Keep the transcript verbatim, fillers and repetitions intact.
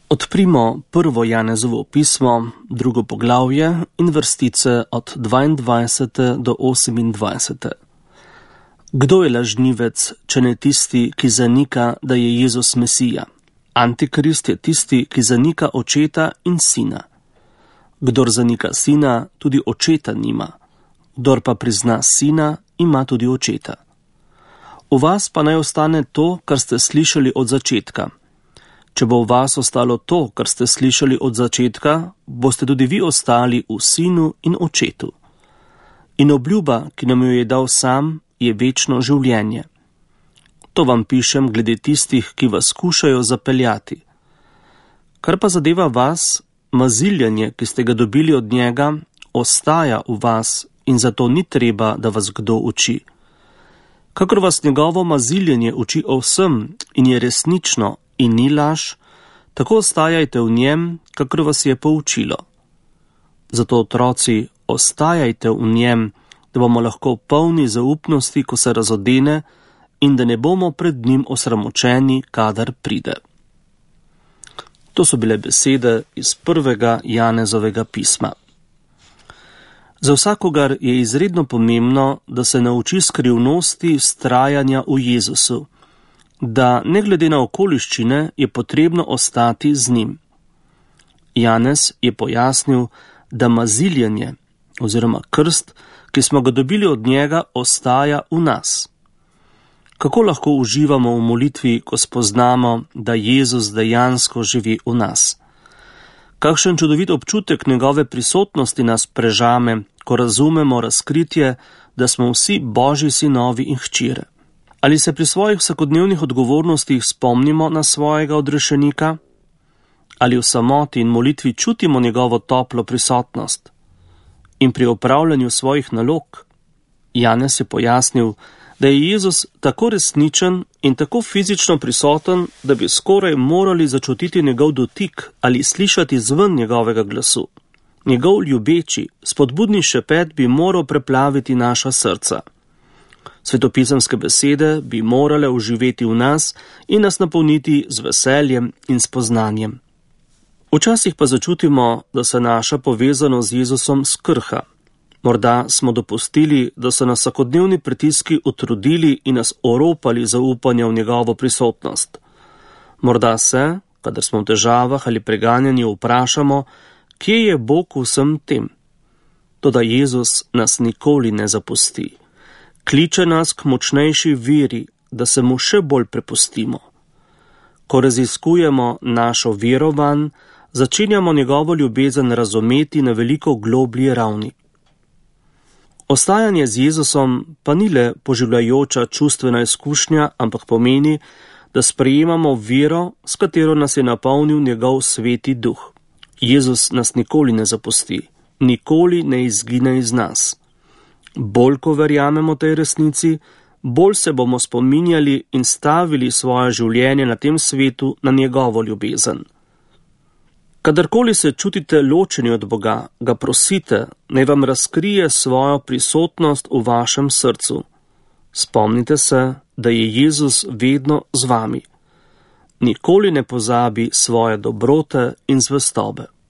Odprimo prvo Janezovo pismo, drugo poglavje in vrstice od dvaindvajsete do osemindvajsete. Kdo je lažnivec, če ne tisti, ki zanika, da je Jezus Mesija? Antikrist je tisti, ki zanika očeta in sina. Kdor zanika sina, tudi očeta nima. Kdor pa prizna sina, ima tudi očeta. V vas pa naj ostane to, kar ste slišali od začetka. Če bo v vas ostalo to, kar ste slišali od začetka, boste tudi vi ostali v sinu in očetu. In obljuba, ki nam jo je dal sam, je večno življenje. To vam pišem glede tistih, ki vas skušajo zapeljati. Kar pa zadeva vas, maziljanje, ki ste ga dobili od njega, ostaja v vas in zato ni treba, da vas kdo uči. Kakor vas njegovo maziljenje uči o vsem in je resnično in ni laž, tako ostajajte v njem, kakor vas je poučilo. Zato, otroci, ostajajte v njem, da bomo lahko polni zaupnosti, ko se razodene, in da ne bomo pred njim osramočeni, kadar pride. To so bile besede iz prvega Janezovega pisma. Za vsakogar je izredno pomembno, da se nauči skrivnosti vztrajanja v Jezusu, da ne glede na okoliščine je potrebno ostati z njim. Janez je pojasnil, da maziljenje oziroma krst, ki smo ga dobili od njega, ostaja v nas. Kako lahko uživamo v molitvi, ko spoznamo, da Jezus dejansko živi v nas? Kakšen čudovit občutek njegove prisotnosti nas prežame, ko razumemo razkritje, da smo vsi Božji sinovi in hčere. Ali se pri svojih vsakodnevnih odgovornostih spomnimo na svojega odrešenika? Ali v samoti in molitvi čutimo njegovo toplo prisotnost? In pri opravljanju svojih nalog? Janez je pojasnil, da je Jezus tako resničen in tako fizično prisoten, da bi skoraj morali začutiti njegov dotik ali slišati zven njegovega glasu. Njegov ljubeči, spodbudni šepet bi moral preplaviti naša srca. Svetopisemske besede bi morale uživeti v nas in nas napolniti z veseljem in spoznanjem. Včasih pa začutimo, da se naša povezanost z Jezusom skrha. Morda smo dopustili, da so nas vsakodnevni pritiski utrudili in nas oropali zaupanja v njegovo prisotnost. Morda se, kadar smo v težavah ali preganjani, vprašamo, kje je Bog v vsem tem? Toda Jezus nas nikoli ne zapusti. Kliče nas k močnejši veri, da se mu še bolj prepustimo. Ko raziskujemo našo vero vanj, začenjamo njegovo ljubezen razumeti na veliko globlji ravni. Ostajanje z Jezusom pa ni le poživljajoča čustvena izkušnja, ampak pomeni, da sprejemamo vero, s katero nas je napolnil njegov sveti duh. Jezus nas nikoli ne zapusti, nikoli ne izgine iz nas. Bolj ko verjamemo tej resnici, bolj se bomo spominjali in stavili svoje življenje na tem svetu na njegovo ljubezen. Kadarkoli se čutite ločeni od Boga, ga prosite, naj vam razkrije svojo prisotnost v vašem srcu. Spomnite se, da je Jezus vedno z vami. Nikoli ne pozabi svoje dobrote in zvestobe.